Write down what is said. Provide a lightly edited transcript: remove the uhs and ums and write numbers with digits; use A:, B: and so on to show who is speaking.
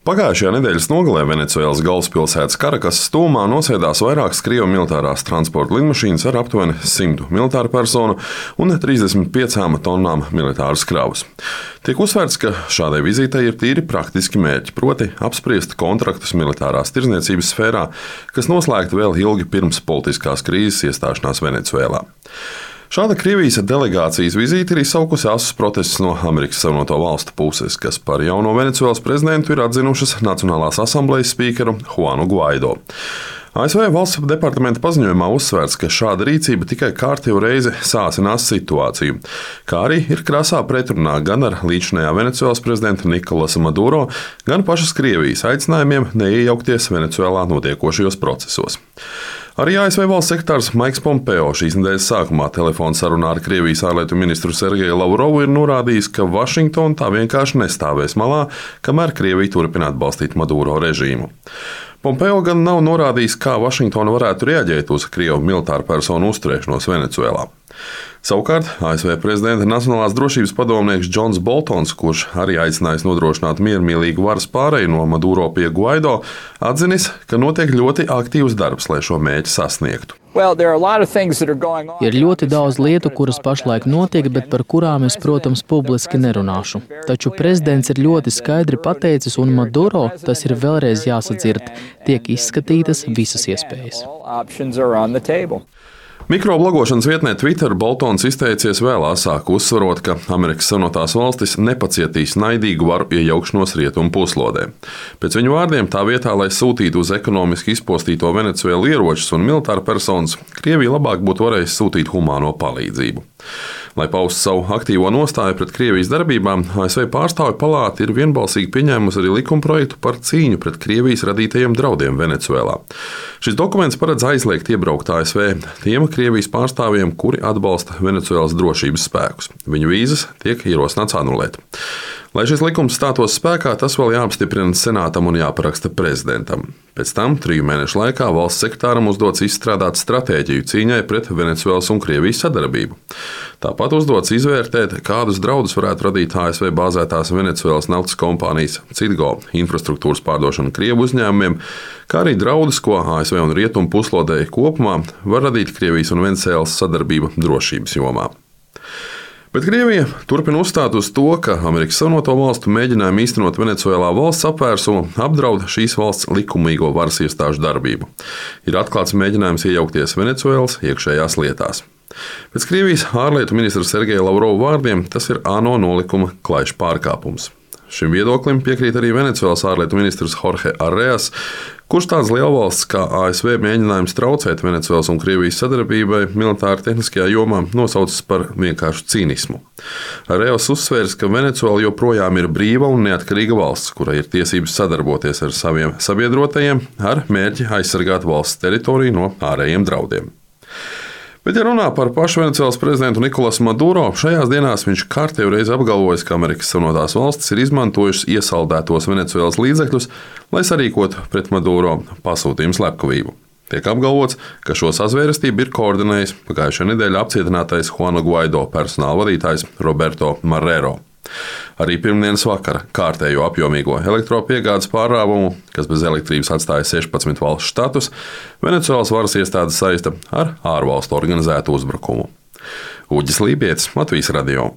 A: Pagājušajā nedēļas nogalē Venecuēlas galvaspilsētas Karakasas tuvumā nosēdās vairākas Krievu militārās transporta lidmašīnas ar aptuveni 100 militāru personu un 35 tonnām militāras kravas. Tiek uzsvērts, ka šādai vizītei ir tīri praktiski mērķi, proti apspriest kontraktus militārās tirdzniecības sfērā, kas noslēgti vēl ilgi pirms politiskās krīzes iestāšanās Venecuēlā. Šāda Krievijas delegācijas vizīte ir izsaukusi asus protestus no Amerikas Savienoto Valstu puses, kas par jauno Venecuēlas prezidentu ir atzinušas Nacionālās asamblejas spīkeru Juanu Guaido. ASV valsts departamenta paziņojumā uzsvērts, ka šāda rīcība tikai kārtējo reizi sāsinās situāciju, kā arī ir krasā pretrunā gan ar līdzinājā Venecuēlas prezidenta Nikolasa Maduro, gan pašas Krievijas aicinājumiem neiejaukties Venecuēlā notiekošajos procesos. Arī ASV valsts sekretārs Maiks Pompeo šīs nedēļas sākumā telefona sarunā ar Krievijas ārlietu ministru Sergeju Lavrovu ir norādījis, ka Vašingtona tā vienkārši nestāvēs malā, kamēr Krievija turpina atbalstīt Maduro režīmu. Pompeo gan nav norādījis, kā Vašingtona varētu reaģēt uz Krievu militāru personu uzturēšanos Venecuēlā. Savukārt ASV prezidenta Nacionālās drošības padomnieks Džons Boltons, kurš arī aicinājis nodrošināt miermīlīgu varas pāreju no Maduro pie Guaido, atzinis, ka notiek ļoti aktīvs darbs, lai šo mērķi sasniegtu.
B: Ir ļoti daudz lietu, kuras pašlaik notiek, bet par kurām es, protams, publiski nerunāšu. Taču prezidents ir ļoti skaidri pateicis, un Maduro, tas ir vēlreiz jāsadzird, tiek izskatītas visas iespējas.
A: Mikroblogošanas vietnē Twitter Boltons izteicies vēl asāk, uzsverot, ka Amerikas Savienotās valstis nepacietīs naidīgu varu iejaukšanos rietumu puslodē. Pēc viņu vārdiem, tā vietā, lai sūtītu uz ekonomiski izpostīto Venecuēlu ieročus un militāru personas, Krievija labāk būtu varējusi sūtīt humāno palīdzību. Lai paustu savu aktīvo nostāju pret Krievijas darbībām, ASV pārstāvju palāta ir vienbalsīgi pieņēmusi arī likumprojektu par cīņu pret Krievijas radītajiem draudiem Venecuēlā. Šis dokuments paredz aizliegt iebraukt ASV tiem Krievijas pārstāvjiem, kuri atbalsta Venecuēlas drošības spēkus. Viņu vīzas tiek ierosināts anulēt. Lai šis likums stātos spēkā, tas vēl jāapstiprina senātam un jāparaksta prezidentam. Pēc tam 3 mēnešu laikā valsts sekretāram uzdots izstrādāt stratēģiju cīņai pret Venecuēlas un Krievijas sadarbību. Tāpat uzdots izvērtēt, kādus draudus varētu radīt ASV bāzētās Venecuēlas naftas kompānijas Citgo infrastruktūras pārdošana Krievu uzņēmumiem, kā arī draudus, ko ASV un Rietumu puslodei kopumā var radīt Krievijas un Venecuēlas sadarbība drošības jomā. Bet Krievija turpina uzstāt uz to, ka Amerikas Savienoto Valstu mēģinājumi īstenot Venecuēlā valsts apvērsumu apdraud šīs valsts likumīgo varas iestāžu darbību. Ir atklāts mēģinājums iejaukties Venecuēlas iekšējās lietās. Pēc Krievijas ārlietu ministra Sergeja Lavrova vārdiem tas ir ANO nolikuma klajš pārkāpums. Šim viedoklim piekrīt arī Venecuēlas ārlietu ministrs Jorge Arreas, kurš tāds lielvalsts kā ASV mēģinājums traucēt Venecuēlas un Krievijas sadarbībai militāri tehniskajā jomā nosaucis par vienkāršu cīnismu. Arreas uzsvērs, ka Venecuēla joprojām ir brīva un neatkarīga valsts, kurai ir tiesības sadarboties ar saviem sabiedrotajiem ar mērķi aizsargāt valsts teritoriju no ārējiem draudiem. Bet, ja runā par pašu Venecuēlas prezidentu Nikolasu Maduro, šajās dienās viņš kārtējo reizi apgalvojis, ka Amerikas Savienotās valstis ir izmantojušas iesaldētos Venecuēlas līdzekļus, lai sarīkotu pret Maduro pasūtījumu slepkavību. Tiek apgalvots, ka šo sazvērestību ir koordinējis pagājušajā nedēļā apcietinātais Juana Guaido personāla vadītājs Roberto Marrero. Arī pirmdienas vakara kārtējo apjomīgo elektropiegādes pārrāvumu, kas bez elektrības atstāja 16 valstu štatus, Venecuēlas varas iestādes saista ar ārvalstu organizētu uzbrukumu. Uģis Lībietis, Latvijas radio.